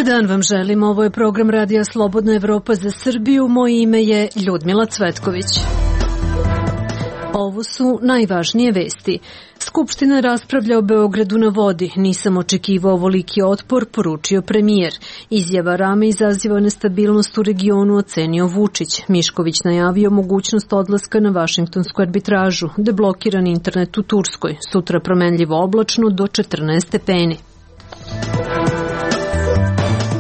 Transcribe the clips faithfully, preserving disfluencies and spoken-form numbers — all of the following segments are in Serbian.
dan vam želim, ovo je program Radija Slobodna Evropa za Srbiju, moje ime je Ljudmila Cvetković. Ovo su najvažnije vesti. Skupština raspravlja o Beogradu na vodi. Nisam očekivao ovoliki otpor, poručio premijer. Izjava Rame izaziva nestabilnost u regionu, ocenio Vučić. Mišković najavio mogućnost odlaska na vašingtonsku arbitražu. Deblokiran internet u Turskoj. Sutra promenljivo oblačno do četrnaest stepeni.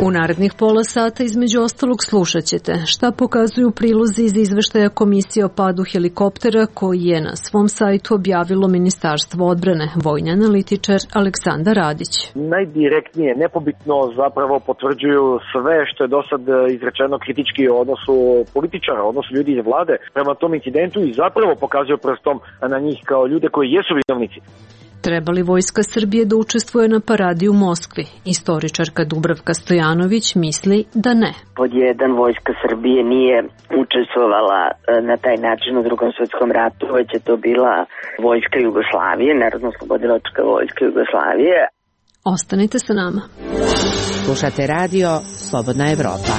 U narednih pola sata između ostalog slušat ćete šta pokazuju prilozi iz izveštaja Komisije o padu helikoptera koji je na svom sajtu objavilo Ministarstvo odbrane. Vojni analitičar Aleksandar Radić. Najdirektnije, nepobitno zapravo potvrđuju sve što je do sad izrečeno kritički o odnosu političara, o odnosu ljudi iz vlade prema tom incidentu i zapravo pokazuju prstom na njih kao ljude koji jesu vinovnici. Treba li Vojska Srbije da učestvuje na paradi u Moskvi? Istoričarka Dubravka Stojanović misli da ne. Pod jedan, Vojska Srbije nije učestvovala na taj način u Drugom svetskom ratu, već je to bila Vojska Jugoslavije, Narodno-oslobodilačka Vojska Jugoslavije. Ostanite sa nama. Slušate radio Slobodna Evropa.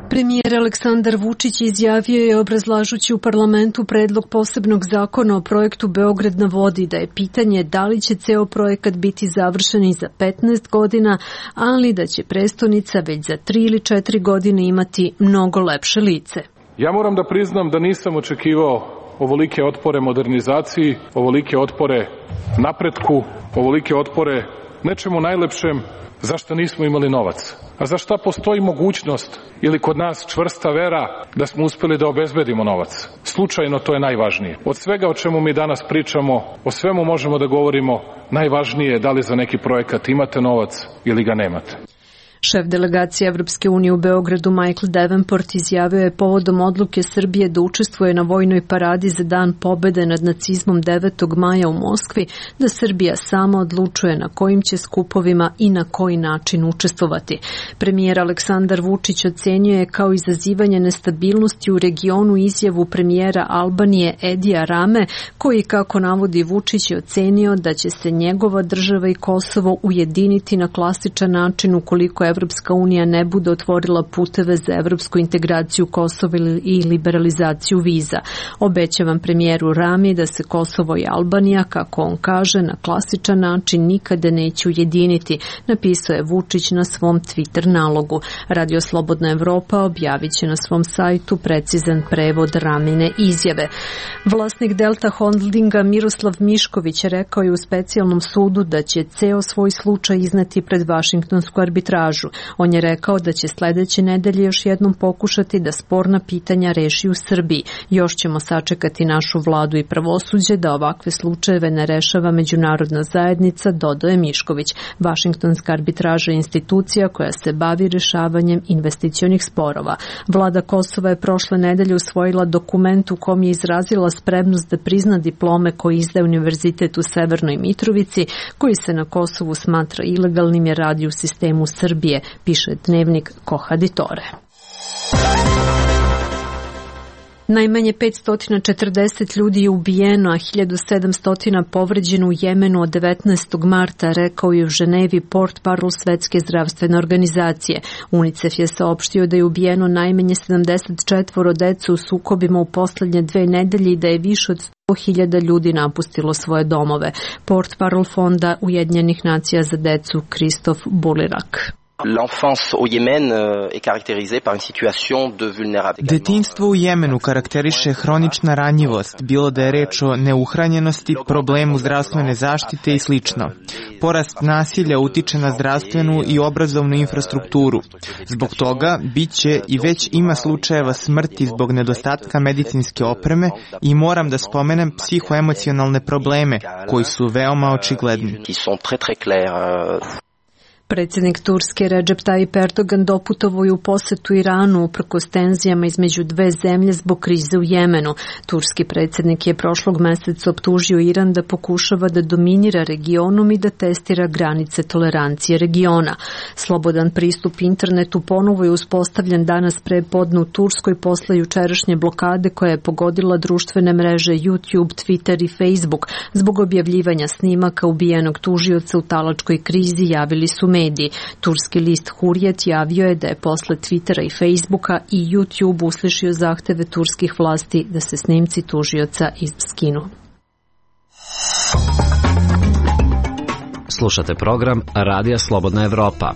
Premijer Aleksandar Vučić izjavio je obrazlažući u parlamentu predlog posebnog zakona o projektu Beograd na vodi da je pitanje da li će ceo projekat biti završen i za petnaest godina, ali da će prestonica već za tri ili četiri godine imati mnogo lepše lice. Ja moram da priznam da nisam očekivao ovolike otpore modernizaciji, ovolike otpore napretku, ovolike otpore nečemu najlepšem zašto nismo imali novac. A za šta postoji mogućnost ili kod nas čvrsta vera da smo uspeli da obezbedimo novac. Slučajno to je najvažnije. Od svega o čemu mi danas pričamo, o svemu možemo da govorimo, najvažnije je da li za neki projekat imate novac ili ga nemate. Šef delegacije Evropske unije u Beogradu Michael Davenport izjavio je povodom odluke Srbije da učestvuje na vojnoj paradi za dan pobede nad nacizmom devetog maja u Moskvi, da Srbija sama odlučuje na kojim će skupovima i na koji način učestvovati. Premijer Aleksandar Vučić ocenio je kao izazivanje nestabilnosti u regionu izjavu premijera Albanije Edija Rame, koji, kako navodi Vučić, je ocenio da će se njegova država i Kosovo ujediniti na klasičan način ukoliko Evropska unija ne bude otvorila puteve za evropsku integraciju Kosova i liberalizaciju viza. Obećavam premijeru Rami da se Kosovo i Albanija, kako on kaže, na klasičan način nikada neće ujediniti, napisao je Vučić na svom Twitter nalogu. Radio Slobodna Evropa objavit će na svom sajtu precizan prevod Ramine izjave. Vlasnik Delta Holdinga Miroslav Mišković rekao je u specijalnom sudu da će ceo svoj slučaj izneti pred vašingtonsku arbitražu. On je rekao da će sledeće nedelje još jednom pokušati da sporna pitanja reši u Srbiji. Još ćemo sačekati našu vladu i pravosuđe da ovakve slučajeve ne rešava međunarodna zajednica, dodao je Mišković. Vašingtonska arbitraža je institucija koja se bavi rešavanjem investicionih sporova. Vlada Kosova je prošle nedelje usvojila dokument u kom je izrazila spremnost da prizna diplome koje izdaje Univerzitet u Severnoj Mitrovici, koji se na Kosovu smatra ilegalnim jer radi u sistemu Srbije, piše dnevnik Kohaditore. Najmanje petsto četrdeset ljudi je ubijeno, a hiljadu sedamsto povređeno u Jemenu od devetnaestog marta, rekao je u Ženevi portparol Svetske zdravstvene organizacije. UNICEF je saopštio da je ubijeno najmanje sedamdeset četvoro dece u sukobima u poslednje dve nedelje i da je više od sto hiljada ljudi napustilo svoje domove. Portparol Fonda Ujedinjenih nacija za decu Kristof Bulirak. L'enfance au Yémen est caractérisée par une situation de vulnérabilité. Detinjstvo u Jemenu karakteriše hronična ranjivost, bilo da je reč o neuhranjenosti, problemu zdravstvene zaštite i slično. Porast nasilja utiče na zdravstvenu i obrazovnu infrastrukturu. Zbog toga biće i već ima slučajeva smrti zbog nedostatka medicinske opreme i moram da spomenem psihoemocionalne probleme koji su veoma očigledni. Predsjednik Turske Recep Tayyip Erdogan doputovao je u posetu Iranu uprkos tenzijama između dve zemlje zbog krize u Jemenu. Turski predsjednik je prošlog meseca optužio Iran da pokušava da dominira regionom i da testira granice tolerancije regiona. Slobodan pristup internetu ponovo je uspostavljen danas pre podne u Turskoj posle jučerašnje blokade koja je pogodila društvene mreže YouTube, Twitter i Facebook zbog objavljivanja snimaka ubijenog tužioca u talačkoj krizi, javili su mediji. Turski list Hurriyet javio je da je posle Twittera i Facebooka i YouTube uslišio zahteve turskih vlasti da se snimci tužioca skinu. Slušate program Radija Slobodna Evropa.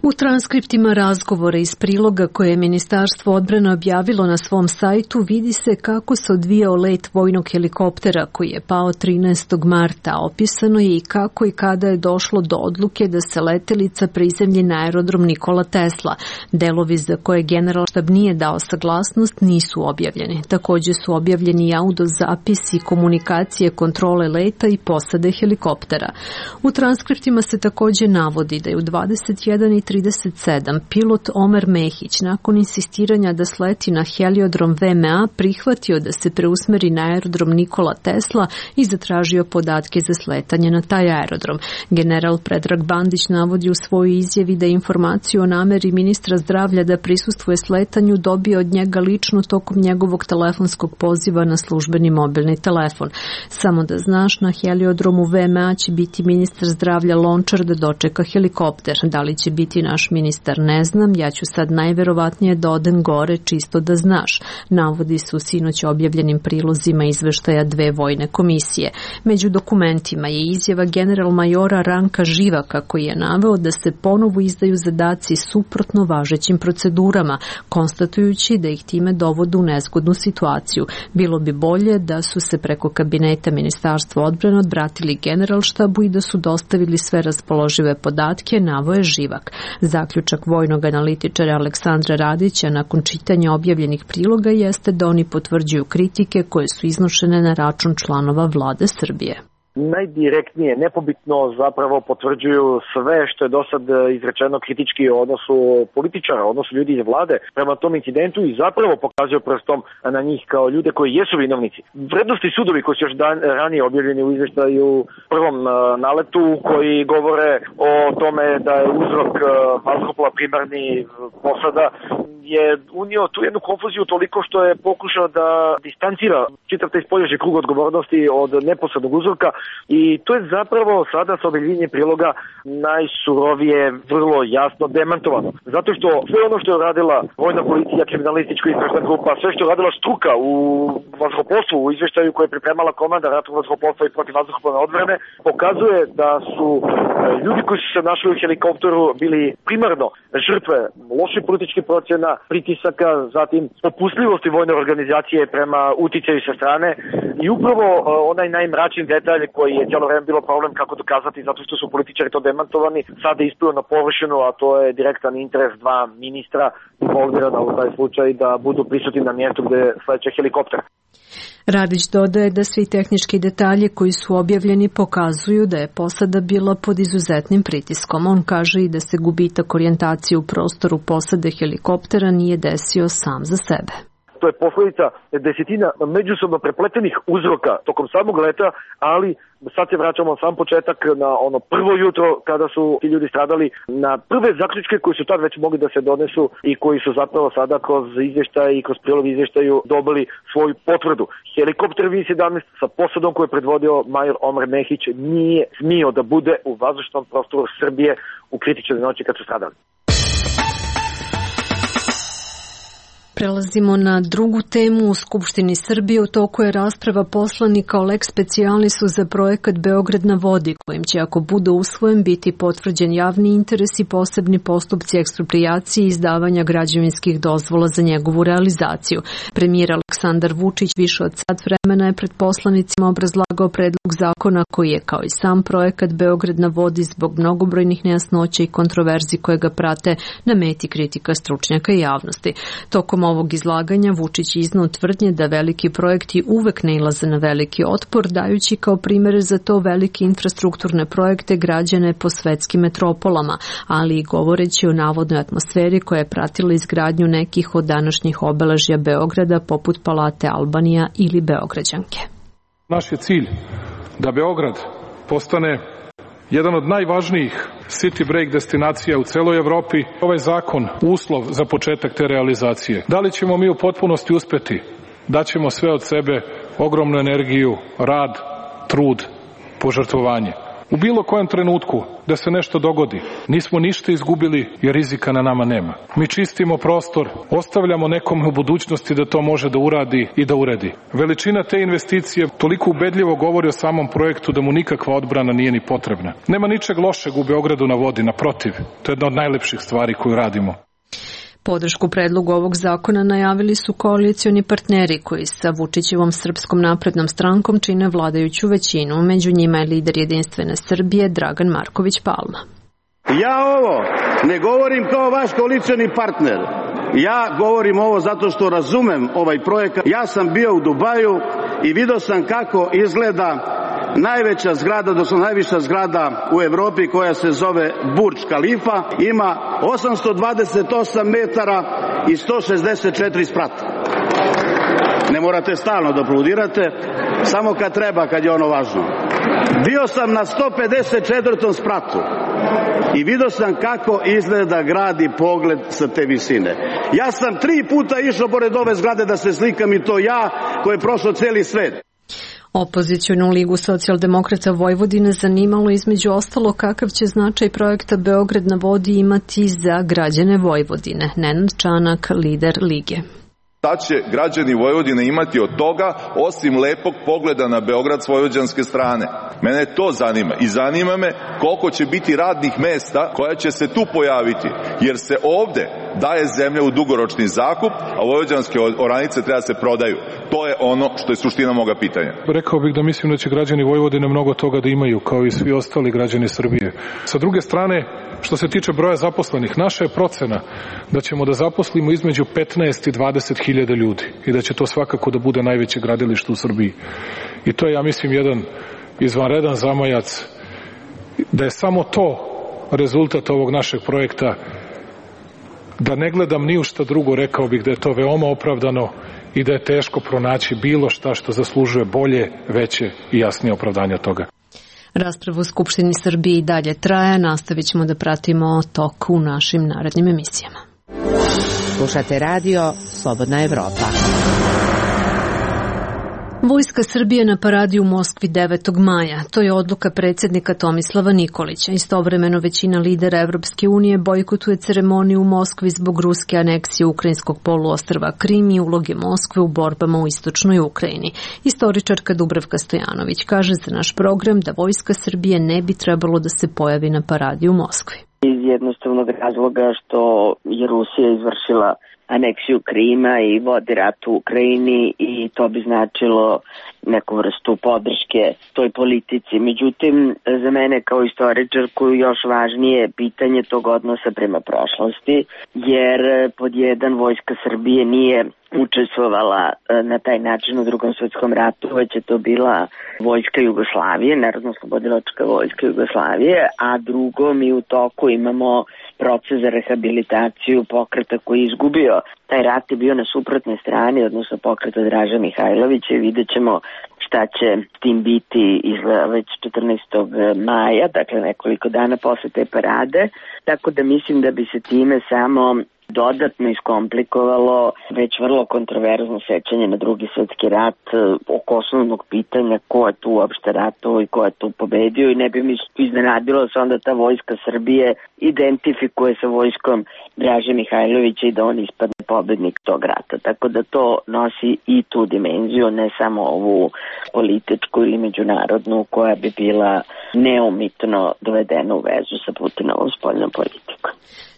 U transkriptima razgovora iz priloga koje je Ministarstvo odbrane objavilo na svom sajtu vidi se kako se odvijao let vojnog helikoptera koji je pao trinaestog marta. Opisano je i kako i kada je došlo do odluke da se letelica prizemlji na aerodrom Nikola Tesla. Delovi za koje Generalštab nije dao saglasnost nisu objavljeni. Također su objavljeni audio zapisi komunikacije kontrole leta i posade helikoptera. U transkriptima se također navodi da je u dvadeset jedan i trideset sedam pilot Omer Mehić nakon insistiranja da sleti na heliodrom V M A prihvatio da se preusmeri na aerodrom Nikola Tesla i zatražio podatke za sletanje na taj aerodrom. General Predrag Bandić navodi u svojoj izjavi da je informaciju o nameri ministra zdravlja da prisustvuje sletanju dobio od njega lično tokom njegovog telefonskog poziva na službeni mobilni telefon. Samo da znaš, na heliodromu V M A će biti ministar zdravlja Lončar da dočeka helikopter. Da li će biti naš ministar, ne znam, ja ću sad najverovatnije da odem gore čisto da znaš, navodi su sinoć objavljenim prilozima izveštaja dve vojne komisije. Među dokumentima je izjava general majora Ranka Živaka koji je naveo da se ponovo izdaju zadaci suprotno važećim procedurama, konstatujući da ih time dovode u nezgodnu situaciju. Bilo bi bolje da su se preko kabineta Ministarstva odbrane obratili Generalštabu i da su dostavili sve raspoložive podatke, naveo je Živak. Zaključak vojnog analitičara Aleksandra Radića nakon čitanja objavljenih priloga jeste da oni potvrđuju kritike koje su iznošene na račun članova vlade Srbije. Najdirektnije, nepobitno zapravo potvrđuju sve što je do sad izrečeno kritički o odnosu političara, odnosu ljudi iz vlade prema tom incidentu i zapravo pokazuju prstom na njih kao ljude koji jesu vinovnici. Vrednosti sudovi koji su još dan, ranije objavljeni u izveštaju prvom naletu koji govore o tome da je uzrok vazduhoplova primarni posada je unio tu jednu konfuziju toliko što je pokušao da distancira čitav taj spoljašnji krug odgovornosti od neposrednog uzroka i to je zapravo sada sa objavljenjem priloga najsurovije, vrlo jasno demantovano. Zato što sve ono što je radila vojna policija, kriminalistička istražna grupa, sve što je radila struka u vazduhoplovstvu, u izveštaju koje je pripremala komanda ratnog vazduhoplovstva i protivvazduhoplovne odbrane, pokazuje da su ljudi koji su se našli u helikopteru bili primarno žrtve loših političkih procjena, pritisaka, zatim popustljivosti vojne organizacije prema uticaju sa strane i upravo onaj najmračniji detalj koji je cijelo vreme bilo problem kako dokazati zato što su političari to demantovani, sada isplio na površinu, a to je direktan interes dva ministra involvirana u taj slučaj da budu prisutni na mjestu gde sleće helikopter. Radić dodaje da svi tehnički detalji koji su objavljeni pokazuju da je posada bila pod izuzetnim pritiskom. On kaže i da se gubitak orijentacije u prostoru posade helikoptera nije desio sam za sebe. To je posledica desetina međusobno prepletenih uzroka tokom samog leta, ali sad se vraćamo na sam početak, na ono prvo jutro kada su ti ljudi stradali, na prve zaključke koji su tad već mogli da se donesu i koji su zapravo sada kroz izvještaj i kroz prilog izvještaju dobili svoju potvrdu. Helikopter V sedamnaest sa posadom koju je predvodio major Omer Mehić nije smio da bude u vazdušnom prostoru Srbije u kritičnoj noći kad su stradali. Prelazimo na drugu temu. U Skupštini Srbije u toku je rasprava poslanika o lex specialisu za projekat Beograd na vodi, kojim će, ako bude usvojen, biti potvrđen javni interes i posebni postupci eksproprijacije i izdavanja građevinskih dozvola za njegovu realizaciju. Premijer Aleksandar Vučić više od sat vremena je pred poslanicima obrazlagao predlog zakona koji je, kao i sam projekat Beograd na vodi, zbog mnogobrojnih nejasnoća i kontroverzi koje ga prate, na meti kritika stručnjaka i javnosti. Tokom ovog izlaganja Vučić iznao tvrdnje da veliki projekti uvek nailaze na veliki otpor, dajući kao primere za to velike infrastrukturne projekte građane po svetskim metropolama, ali i govoreći o navodnoj atmosferi koja je pratila izgradnju nekih od današnjih obeležja Beograda, poput Palate Albanija ili Beograđanke. Naš je cilj da Beograd postane jedan od najvažnijih city break destinacija u celoj Evropi. Ovaj zakon uslov za početak te realizacije. Da li ćemo mi u potpunosti uspeti? Daćemo sve od sebe, ogromnu energiju, rad, trud, požrtvovanje. U bilo kojem trenutku da se nešto dogodi, nismo ništa izgubili jer rizika na nama nema. Mi čistimo prostor, ostavljamo nekome u budućnosti da to može da uradi i da uredi. Veličina te investicije toliko ubedljivo govori o samom projektu da mu nikakva odbrana nije ni potrebna. Nema ničeg lošeg u Beogradu na vodi, naprotiv, to je jedna od najlepših stvari koju radimo. Podršku predlogu ovog zakona najavili su koalicioni partneri koji sa Vučićevom Srpskom naprednom strankom čine vladajuću većinu. Među njima je lider Jedinstvene Srbije Dragan Marković Palma. Ja ovo ne govorim kao vaš koalicioni partner. Ja govorim ovo zato što razumem ovaj projekat. Ja sam bio u Dubaju i vidio sam kako izgleda najveća zgrada, odnosno najviša zgrada u Evropi koja se zove Burdž Khalifa, ima osamsto dvadeset osam metara i sto šezdeset četiri sprata. Ne morate stalno da aplaudirate, samo kad treba, kad je ono važno. Bio sam na sto pedeset četvrtom spratu i vidio sam kako izgleda grad i pogled sa te visine. Ja sam tri puta išao pored ove zgrade da se slikam i to ja koji je prošao celi svet. Opozicionu ligu socijaldemokrata Vojvodine zanimalo između ostalo kakav će značaj projekta Beograd na vodi imati za građane Vojvodine. Nenad Čanak, lider lige. Šta će građani Vojvodine imati od toga, osim lepog pogleda na Beograd s vojvođanske strane? Mene to zanima i zanima me koliko će biti radnih mesta koja će se tu pojaviti, jer se ovde daje zemlja u dugoročni zakup, a vojvođanske oranice treba se prodaju. To je ono što je suština moga pitanja. Rekao bih da mislim da će građani Vojvodine mnogo toga da imaju, kao i svi ostali građani Srbije. Sa druge strane, što se tiče broja zaposlenih, naša je procena da ćemo da zaposlimo između petnaest i dvadeset hiljada ljudi i da će to svakako da bude najveće gradilište u Srbiji. I to je, ja mislim, jedan izvanredan zamajac, da je samo to rezultat ovog našeg projekta. Da ne gledam ni u šta drugo, rekao bih da je to veoma opravdano i da je teško pronaći bilo šta što zaslužuje bolje, veće i jasnije opravdanje od toga. Rasprava u Skupštini Srbije i dalje traje, nastavit ćemo da pratimo tok u našim narednim emisijama. Slušate radio Slobodna Evropa. Vojska Srbije na paradi u Moskvi devetog maja. To je odluka predsjednika Tomislava Nikolića. Istovremeno većina lidera Evropske unije bojkotuje ceremoniju u Moskvi zbog ruske aneksije ukrajinskog poluostrva Krim i uloge Moskve u borbama u istočnoj Ukrajini. Istoričarka Dubravka Stojanović kaže za naš program da Vojska Srbije ne bi trebalo da se pojavi na paradi u Moskvi. Iz jednostavnog razloga što je Rusija izvršila aneksiju Krima i vodi rat u Ukrajini i to bi značilo neku vrstu podrške toj politici. Međutim, za mene kao istoričarku još važnije pitanje tog odnosa prema prošlosti, jer pod jedan Vojska Srbije nije učestvovala na taj način u Drugom svetskom ratu, već je to bila Vojska Jugoslavije, Narodno-oslobodilačka Vojska Jugoslavije, a drugo, mi u toku imamo proces za rehabilitaciju pokreta koji je izgubio. Taj rat je bio na suprotnoj strani, odnosno pokreta Draže Mihajlovića, i vidjet ćemo šta će tim biti izgleda već četrnaestog maja, dakle nekoliko dana posle te parade, tako da mislim da bi se time samo dodatno iskomplikovalo već vrlo kontroverzno sećanje na Drugi svetski rat oko osnovnog pitanja ko je tu uopšte ratovao i ko je tu pobedio, i ne bi mi iznenadilo da se onda ta Vojska Srbije identifikuje sa vojskom Draže Mihajlovića i da on ispadne pobednik tog rata. Tako da to nosi i tu dimenziju, ne samo ovu političku ili međunarodnu koja bi bila neumitno dovedena u vezu sa Putinovom spoljnom politikom.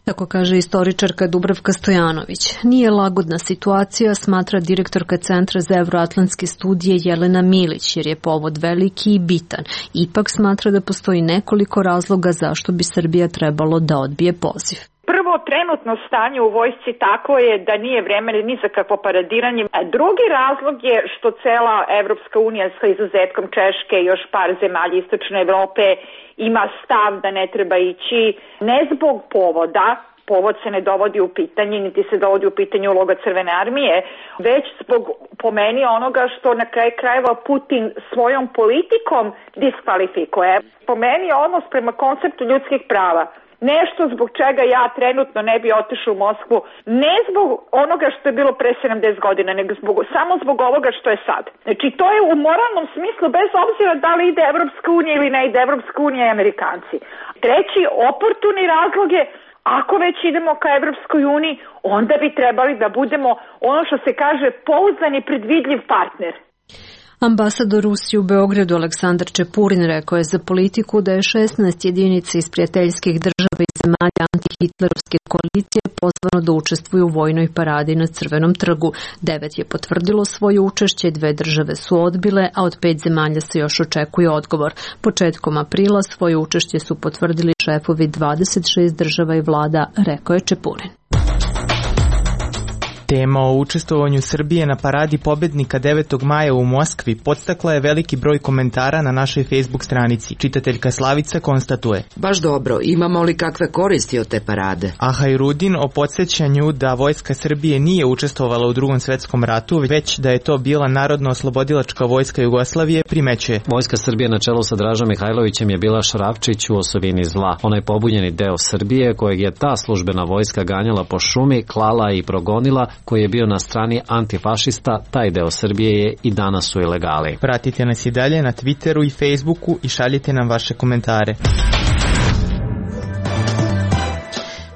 Tako kaže istoričarka Dubravka Stojanović. Nije lagodna situacija, smatra direktorka Centra za evroatlantske studije Jelena Milić, jer je povod veliki i bitan. Ipak smatra da postoji nekoliko razloga zašto bi Srbija trebalo da odbije poziv. Prvo, trenutno stanje u vojsci tako je da nije vreme ni za kakvo paradiranje. Drugi razlog je što cela Evropska unija sa izuzetkom Češke i još par zemalja istočne Evrope ima stav da ne treba ići ne zbog povoda, povod se ne dovodi u pitanje, niti se dovodi u pitanje uloga Crvene armije, već zbog, po meni, onoga što na kraju krajeva Putin svojom politikom diskvalifikuje. Po meni odnos prema konceptu ljudskih prava nešto zbog čega ja trenutno ne bi otišao u Moskvu, ne zbog onoga što je bilo pre sedamdeset godina, nego zbog, samo zbog ovoga što je sad. Znači, to je u moralnom smislu, bez obzira da li ide Evropska unija ili ne ide Evropska unija i Amerikanci. Treći, oportuni razlog je, ako već idemo ka Evropskoj uniji, onda bi trebali da budemo, ono što se kaže, pouzdan i predvidljiv partner. Ambasador Rusije u Beogradu Aleksandar Čepurin rekao je za politiku da je šesnaest jedinica iz prijateljskih država i zemalja antihitlerovske koalicije pozvano da učestvuju u vojnoj paradi na Crvenom trgu. Devet je potvrdilo svoje učešće, dve države su odbile, a od pet zemalja se još očekuje odgovor. Početkom aprila svoje učešće su potvrdili šefovi dvadeset šest država i vlada, rekao je Čepurin. Tema o učestvovanju Srbije na paradi pobednika devetog maja u Moskvi podstakla je veliki broj komentara na našoj Facebook stranici. Čitateljka Slavica konstatuje: Baš dobro, imamo li kakve koristi od te parade? A Hajrudin o podsjećanju da vojska Srbije nije učestvovala u Drugom svetskom ratu, već da je to bila Narodno-oslobodilačka vojska Jugoslavije, primećuje: Vojska Srbije na čelu sa Dražom Mihajlovićem je bila šrafčić u osovini zla. Onaj pobunjeni deo Srbije kojeg je ta službena vojska ganjala po šumi, klala i progonila, koji je bio na strani antifašista, taj deo Srbije je i danas u ilegali. Pratite nas i dalje na Twitteru i Facebooku i šaljite nam vaše komentare.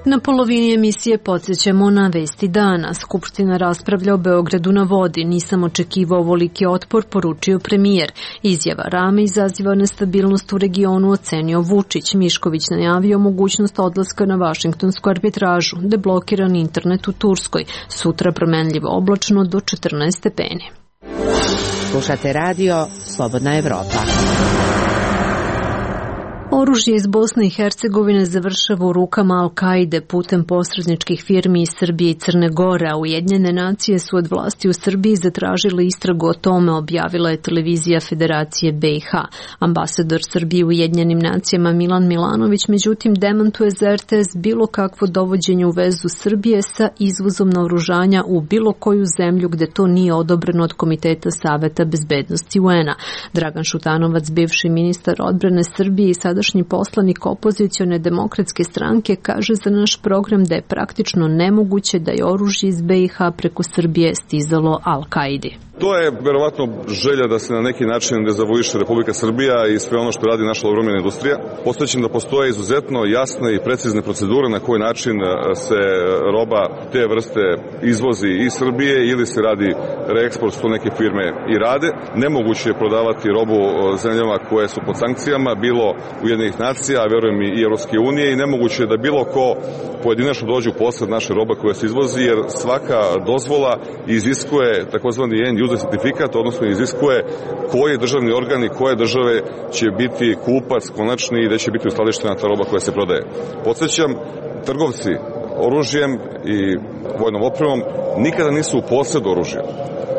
Na polovini emisije podsjećamo na vesti dana. Skupština raspravlja o Beogradu na vodi. Nisam očekivao ovoliki otpor, poručio premijer. Izjava Rame izaziva nestabilnost u regionu, ocenio Vučić. Mišković najavio mogućnost odlaska na vašingtonsku arbitražu. Deblokiran internet u Turskoj. Sutra promenljivo oblačno do četrnaest stepeni. Slušate radio Slobodna Evropa. Oružje iz Bosne i Hercegovine završava u rukama Al-Kaide putem posredničkih firmi iz Srbije i Crne Gore, a Ujedinjene nacije su od vlasti u Srbiji zatražile istragu o tome, objavila je televizija Federacije B i H. Ambasador Srbije u Ujedinjenim nacijama Milan Milanović međutim demantuje za R T S bilo kakvo dovođenje u vezu Srbije sa izvozom naoružanja u bilo koju zemlju gde to nije odobreno od Komiteta Saveta bezbednosti U N-a. Dragan Šutanovac, bivši ministar odbrane Srbije i sada poslanik opozicione demokratske stranke, kaže za naš program da je praktično nemoguće da je oružje iz B i H preko Srbije stizalo Al-Kaidi. To je verovatno želja da se na neki način dezavuiše Republika Srbija i sve ono što radi naša obrambena industrija. Postojećim da postoje izuzetno jasne i precizne procedure na koji način se roba te vrste izvozi iz Srbije ili se radi reeksport, što neke firme i rade. Nemoguće je prodavati robu zemljama koje su pod sankcijama, bilo Ujedinjenih nacija, a verujem i Evropske unije, i nemoguće je da bilo ko pojedinačno dođe u posed naše robe koja se izvozi, jer svaka dozvola iziskuje takozvani end user certifikat, odnosno iziskuje koji državni organ i koje države će biti kupac konačni i gde će biti uskladištena ta roba koja se prodaje. Podsjećam, trgovci oružjem i vojnom opremom nikada nisu u posedu oružja.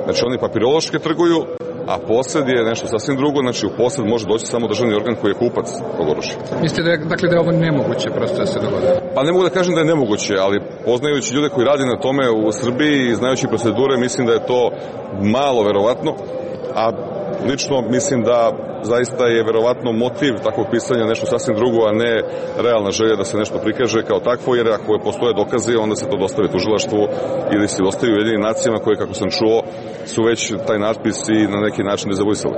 Znači oni papirološki trguju, a posed je nešto sasvim drugo, znači u posed može doći samo državni organ koji je kupac tog oružja. Mislite da je, dakle, da je ovo nemoguće prosto da se dogodi? Pa ne mogu da kažem da je nemoguće, ali poznajući ljude koji radi na tome u Srbiji i znajući procedure, mislim da je to malo verovatno, a lično mislim da zaista je verovatno motiv takvog pisanja nešto sasvim drugo, a ne realna želja da se nešto prikaže kao takvo, jer ako postoje dokazi, onda se to dostavi tužilaštvu ili se dostavi Ujedinjenim nacijama koje, kako sam čuo, su već taj natpis i na neki način dezavuisali.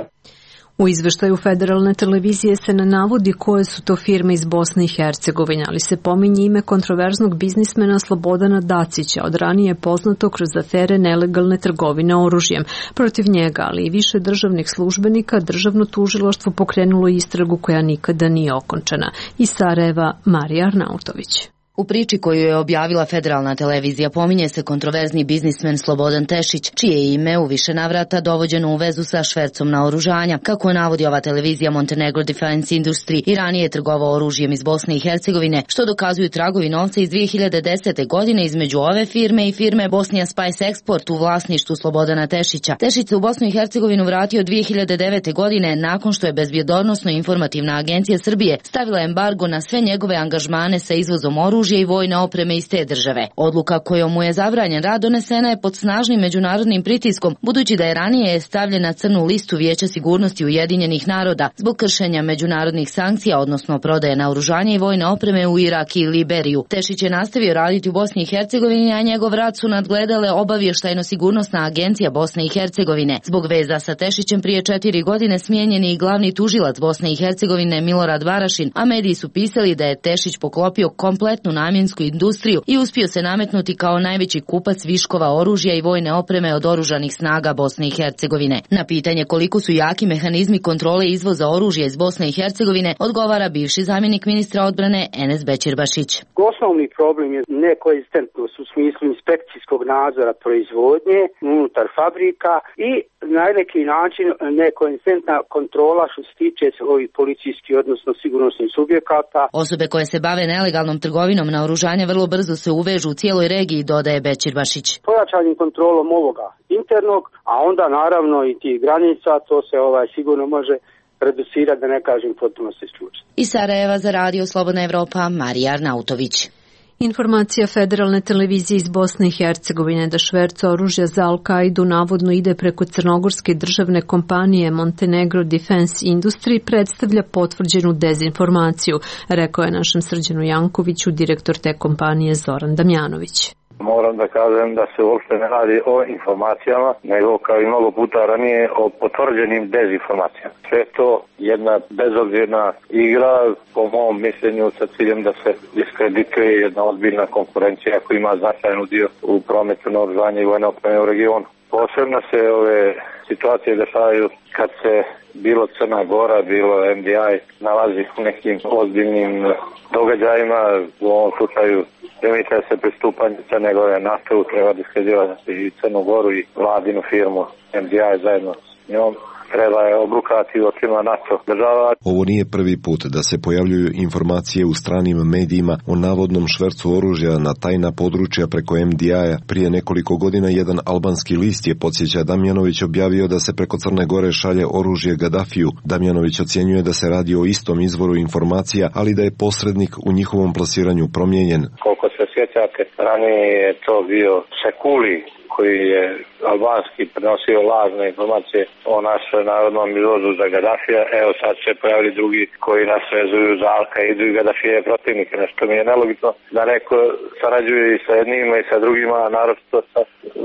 U izveštaju federalne televizije se ne navodi koje su to firme iz Bosne i Hercegovine, ali se pominje ime kontroverznog biznismena Slobodana Dacića, od ranije poznato kroz afere nelegalne trgovine oružjem. Protiv njega, ali i više državnih službenika, državno tužilaštvo pokrenulo istragu koja nikada nije okončana. Iz Sarajeva, Marija Arnautović. U priči koju je objavila federalna televizija pominje se kontroverzni biznismen Slobodan Tešić, čije ime u više navrata dovođeno u vezu sa švercom naoružanja. Kako navodi ova televizija, Montenegro Defense Industry i ranije je trgovao oružjem iz Bosne i Hercegovine, što dokazuju tragovi novca iz dvije hiljade desete. godine između ove firme i firme Bosnia Spice Export u vlasništvu Slobodana Tešića. Tešić se u Bosnu i Hercegovinu vratio dvije hiljade devete. godine nakon što je Bezbjednosno-informativna agencija Srbije stavila embargo na sve njegove angažmane sa izvozom oružja oružja i vojne opreme iz te države. Odluka kojom mu je zabranjen rad donesena je pod snažnim međunarodnim pritiskom, budući da je ranije stavljen na crnu listu Vijeća sigurnosti Ujedinjenih naroda zbog kršenja međunarodnih sankcija, odnosno prodaje naoružanja i vojne opreme u Irak i Liberiju. Tešić je nastavio raditi u Bosni i Hercegovini, a njegov rad su nadgledale Obavještajno-sigurnosna agencija Bosne i Hercegovine. Zbog veza sa Tešićem prije četiri godine smijenjen je i glavni tužilac Bosne i Hercegovine Milorad Varašin, a mediji su pisali da je Tešić poklopio kompletnu namjensku industriju i uspio se nametnuti kao najveći kupac viškova oružja i vojne opreme od oružanih snaga Bosne i Hercegovine. Na pitanje koliko su jaki mehanizmi kontrole izvoza oružja iz Bosne i Hercegovine odgovara bivši zamjenik ministra odbrane Enes Bećirbašić. Osnovni problem je nekoegzistentnost u smislu inspekcijskog nadzora proizvodnje unutar fabrika i na neki način nekoegzistentna kontrola što se tiče ovih policijskih, odnosno sigurnosnih subjekata. Osobe koje se bave nelegalnom trgovinom naoružanja vrlo brzo se uvežu u cijeloj regiji, dodaje Bećirbašić. Pojačanim kontrolom ovoga internog, a onda naravno i tih granica, to se ovaj sigurno može reducirati, da ne kažem potpuno se isključiti. Iz Sarajeva za radio Slobodna Evropa, Marija Arnautović. Informacija Federalne televizije iz Bosne i Hercegovine da šverc oružja za Al-Kaidu navodno ide preko crnogorske državne kompanije Montenegro Defense Industry predstavlja potvrđenu dezinformaciju, rekao je našem Srđanu Jankoviću direktor te kompanije Zoran Damjanović. Moram da kažem da se uopšte ne radi o informacijama, nego kao i mnogo puta ranije o potvrđenim dezinformacijama. Sve to jedna bezobzirna igra, po mom mišljenju, sa ciljem da se diskredituje jedna ozbiljna konkurencija koja ima značajan udio u prometu naoružanja i vojne opreme u regionu. Posebno se ove situacije dešavaju kad se bilo Crna Gora, bilo M D I nalazi u nekim ozbiljnim događajima, u ovom slučaju primite se pristupanje Crne Gore NATO, treba diskreditovati i Crnu Goru i vladinu firmu M D I zajedno s njom. Treba je obrukati u očima NATO država. Ovo nije prvi put da se pojavljuju informacije u stranim medijima o navodnom švercu oružja na tajna područja preko M D I-a. Prije nekoliko godina jedan albanski list je, podsjeća Damjanović, objavio da se preko Crne Gore šalje oružje Gadafiju. Damjanović ocjenjuje da se radi o istom izvoru informacija, ali da je posrednik u njihovom plasiranju promijenjen. Koliko se sjećate, ranije je to bio Sekuli, koji je albanski prenosio lažne informacije o našoj narodnom izvozu za Gadafija. Evo sad se pojavili drugi koji nas vezuju za Al-Kaidu i Gadafije protivnike. Nešto mi je nelogično da neko sarađuje i sa jednima i sa drugima, a naročito sa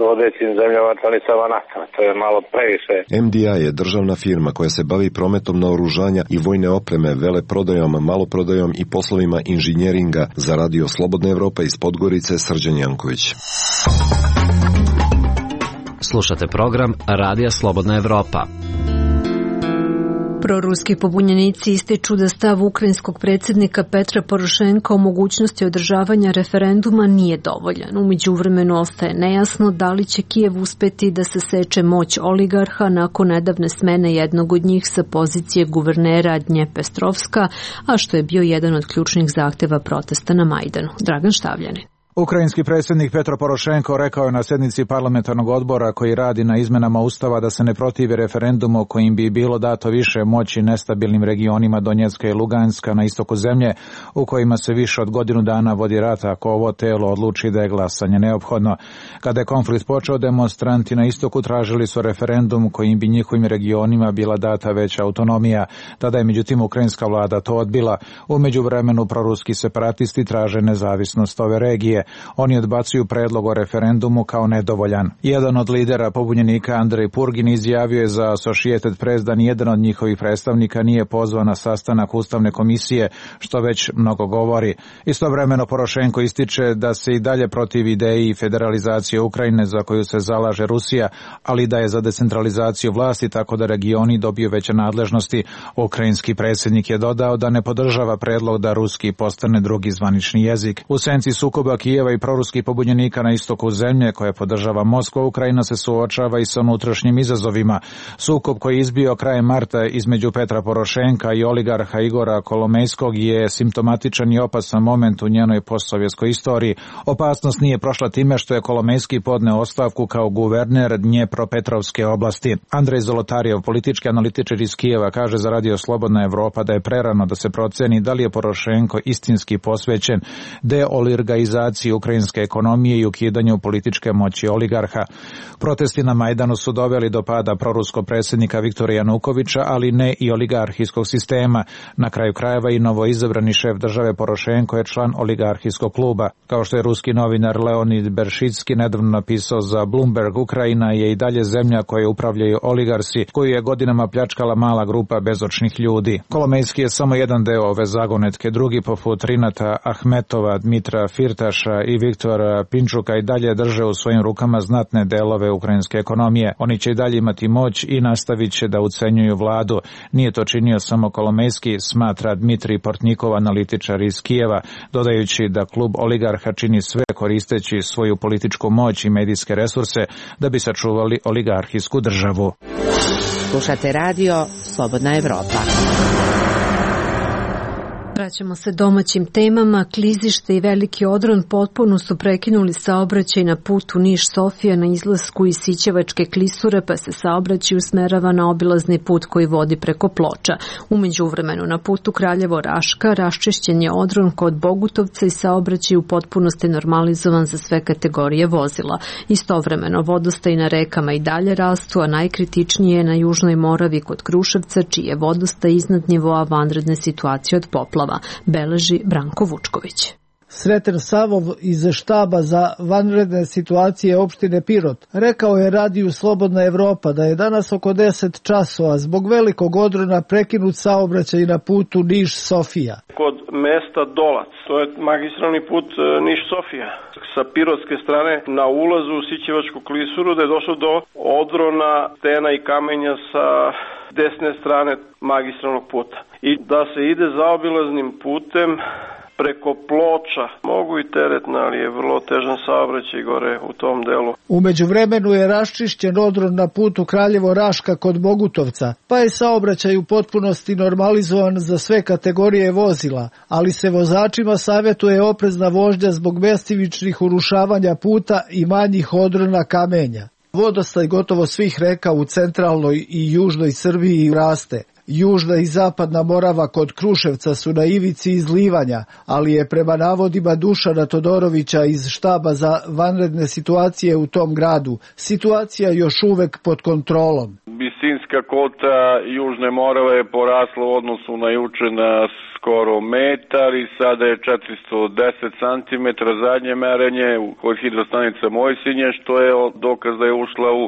vodećim zemljama članicama NATO. To je malo previše. M D I je državna firma koja se bavi prometom naoružanja i vojne opreme, veleprodajom, maloprodajom i poslovima inženjeringa. Za radio Slobodna Evropa iz Podgorice, Srđan Janković. Slušate program Radija Slobodna Evropa. Proruski pobunjenici ističu da stav ukrajinskog predsjednika Petra Porošenka o mogućnosti održavanja referenduma nije dovoljan. U međuvremenu ostaje nejasno da li će Kijev uspeti da se seče moć oligarha nakon nedavne smene jednog od njih sa pozicije guvernera Dnjepestrovska, a što je bio jedan od ključnih zahteva protesta na Majdanu. Dragan Štavljanin. Ukrajinski predsjednik Petro Porošenko rekao je na sjednici parlamentarnog odbora koji radi na izmenama Ustava da se ne protivi referendumu kojim bi bilo dato više moći nestabilnim regionima Donjecka i Luganska na istoku zemlje u kojima se više od godinu dana vodi rat ako ovo telo odluči da je glasanje neophodno. Kada je konflikt počeo, demonstranti na istoku tražili su referendum kojim bi njihovim regionima bila data veća autonomija. Tada je međutim ukrajinska vlada to odbila. U međuvremenu proruski separatisti traže nezavisnost ove regije. Oni odbacuju predlog o referendumu kao nedovoljan. Jedan od lidera pobunjenika, Andrej Purgin, izjavio je za Associated Press da nijedan od njihovih predstavnika nije pozvan na sastanak Ustavne komisije, što već mnogo govori. Istovremeno Porošenko ističe da se i dalje protivi ideji federalizacije Ukrajine za koju se zalaže Rusija, ali da je za decentralizaciju vlasti tako da regioni dobiju veće nadležnosti. Ukrajinski predsjednik je dodao da ne podržava predlog da ruski postane drugi zvanični jezik. U senci sukoba Kijev Kijeva i proruskih pobunjenika na istoku zemlje koje podržava Moskva, Ukrajina se suočava i sa unutrašnjim izazovima. Sukob koji je izbio krajem marta između Petra Porošenka i oligarha Igora Kolomejskog je simptomatičan i opasan moment u njenoj postsovjetskoj istoriji. Opasnost nije prošla time što je Kolomejski podneo ostavku kao guverner Dnjepropetrovske oblasti. Andrej Zolotarjev, politički analitičar iz Kijeva, kaže za Radio Slobodna Evropa da je prerano da se proceni da li je Porošenko istinski posvećen deoligarhizaciji ukrajinske ekonomije i ukidanju političke moći oligarha. Protesti na Majdanu su doveli do pada proruskog predsjednika Viktora Janukovića, ali ne i oligarhijskog sistema. Na kraju krajeva i novoizabrani šef države Porošenko je član oligarhijskog kluba. Kao što je ruski novinar Leonid Beršicki nedavno napisao za Bloomberg, Ukrajina je i dalje zemlja koje upravljaju oligarsi, koju je godinama pljačkala mala grupa bezočnih ljudi. Kolomejski je samo jedan deo ove zagonetke, drugi poput Rinata Ahmetova, Dmitra Firtaša i Viktora Pinčuka i dalje drže u svojim rukama znatne delove ukrajinske ekonomije. Oni će i dalje imati moć i nastavit će da ucenjuju vladu. Nije to činio samo Kolomejski, smatra Dmitri Portnikov, analitičar iz Kijeva, dodajući da klub oligarha čini sve koristeći svoju političku moć i medijske resurse da bi sačuvali oligarhijsku državu. Slušate radio Slobodna Evropa. Vraćamo se domaćim temama. Klizište i Veliki Odron potpuno su prekinuli saobraćaj na putu Niš-Sofija na izlasku iz Sićevačke klisure, pa se saobraćaj usmerava na obilazni put koji vodi preko Ploča. U međuvremenu na putu Kraljevo-Raška raščišćen je Odron kod Bogutovca i saobraćaj u potpunosti normalizovan za sve kategorije vozila. Istovremeno vodostaj na rekama i dalje rastu, a najkritičnije je na Južnoj Moravi kod Kruševca, čiji je vodostaj iznad nivoa vanredne situacije od poplava, beleži Branko Vučković. Sreten Savov iz štaba za vanredne situacije opštine Pirot rekao je radiju Slobodna Evropa da je danas oko deset časova zbog velikog odrona prekinut saobraćaj na putu Niš-Sofija. Kod mesta Dolac, to je magistralni put Niš-Sofija. Sa pirotske strane na ulazu u Sićevačku klisuru da je došlo do odrona stena i kamenja sa desne strane magistralnog puta. I da se ide zaobilaznim putem preko Ploča. Mogu i teretna, ali je vrlo težan saobraćaj gore u tom delu. U međuvremenu je raščišćen odron na putu Kraljevo-Raška kod Bogutovca, pa je saobraćaj u potpunosti normalizovan za sve kategorije vozila, ali se vozačima savjetuje oprezna vožnja zbog mestimičnih urušavanja puta i manjih odrona kamenja. Vodostaj gotovo svih reka u centralnoj i južnoj Srbiji raste. Južna i zapadna Morava kod Kruševca su na ivici izlivanja, ali je prema navodima Dušana Todorovića iz štaba za vanredne situacije u tom gradu situacija još uvek pod kontrolom. Bisinska kota Južne Morave je porasla u odnosu na juče na skoro metar i sada je četiristo deset centimetara zadnje merenje kod hidrostanica Mojsinje, što je dokaz da je ušla u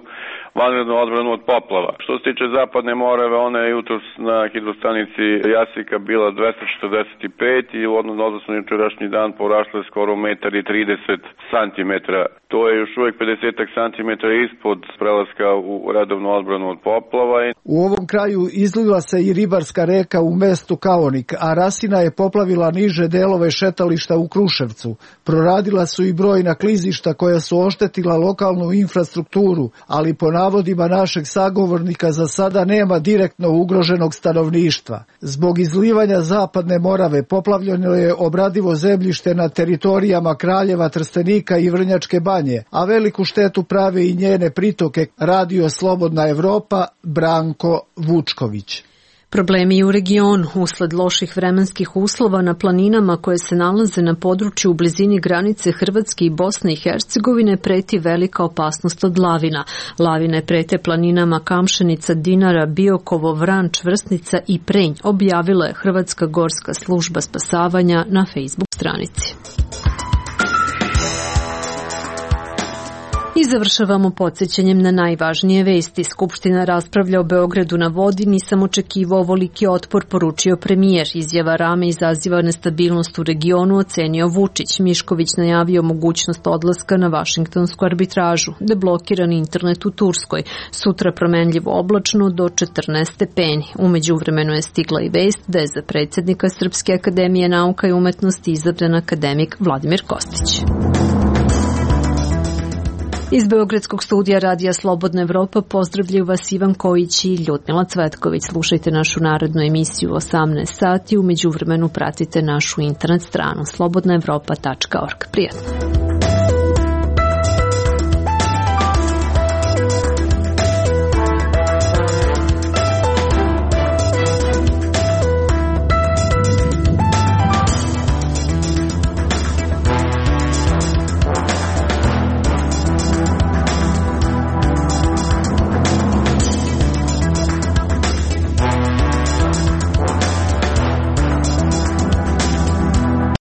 vanrednu odbranu od poplava. Što se tiče zapadne Morave, ona je jutros na hidrostanici Jasika bila dvesta četrdeset pet i u odnosu na jučerašnji dan porasla je skoro metar i trideset centimetara. To je još uvek pedeset centimetara ispod prelaska u redovnu odbranu od poplava. U ovom kraju izlila se i ribarska reka u mestu Kaonik, a Rasina je poplavila niže delove šetališta u Kruševcu. Proradila su i brojna klizišta koja su oštetila lokalnu infrastrukturu, ali po navodima našeg sagovornika za sada nema direktno ugroženog stanovništva. Zbog izlivanja zapadne Morave poplavljeno je obradivo zemljište na teritorijama Kraljeva, Trstenika i Vrnjačke Banje, a veliku štetu prave i njene pritoke. Radio Slobodna Evropa, Branko Vučković. Problemi u regionu usled loših vremenskih uslova na planinama koje se nalaze na području u blizini granice Hrvatske i Bosne i Hercegovine preti velika opasnost od lavina. Lavine prete planinama Kamšenica, Dinara, Biokovo, Vran, Čvrsnica i Prenj, objavila je Hrvatska gorska služba spasavanja na Facebook stranici. I završavamo podsjećanjem na najvažnije vesti. Skupština raspravlja o Beogradu na vodi, nisam očekivao ovoliki otpor, poručio premijer. Izjava Rame izaziva nestabilnost u regionu, ocenio Vučić. Mišković najavio mogućnost odlaska na vašingtonsku arbitražu. Deblokiran internet u Turskoj. Sutra promenljivo oblačno do četrnaest stepeni. U međuvremenu je stigla i vest da je za predsjednika Srpske akademije nauka i umetnosti izabran akademik Vladimir Kostić. Iz Beogradskog studija Radija Slobodna Evropa pozdravljaju vas Ivan Kojić i Ljudmila Cvetković. Slušajte našu narodnu emisiju u osamnaest sati. U međuvremenu pratite našu internet stranu slobodna evropa tačka org. Prijatno.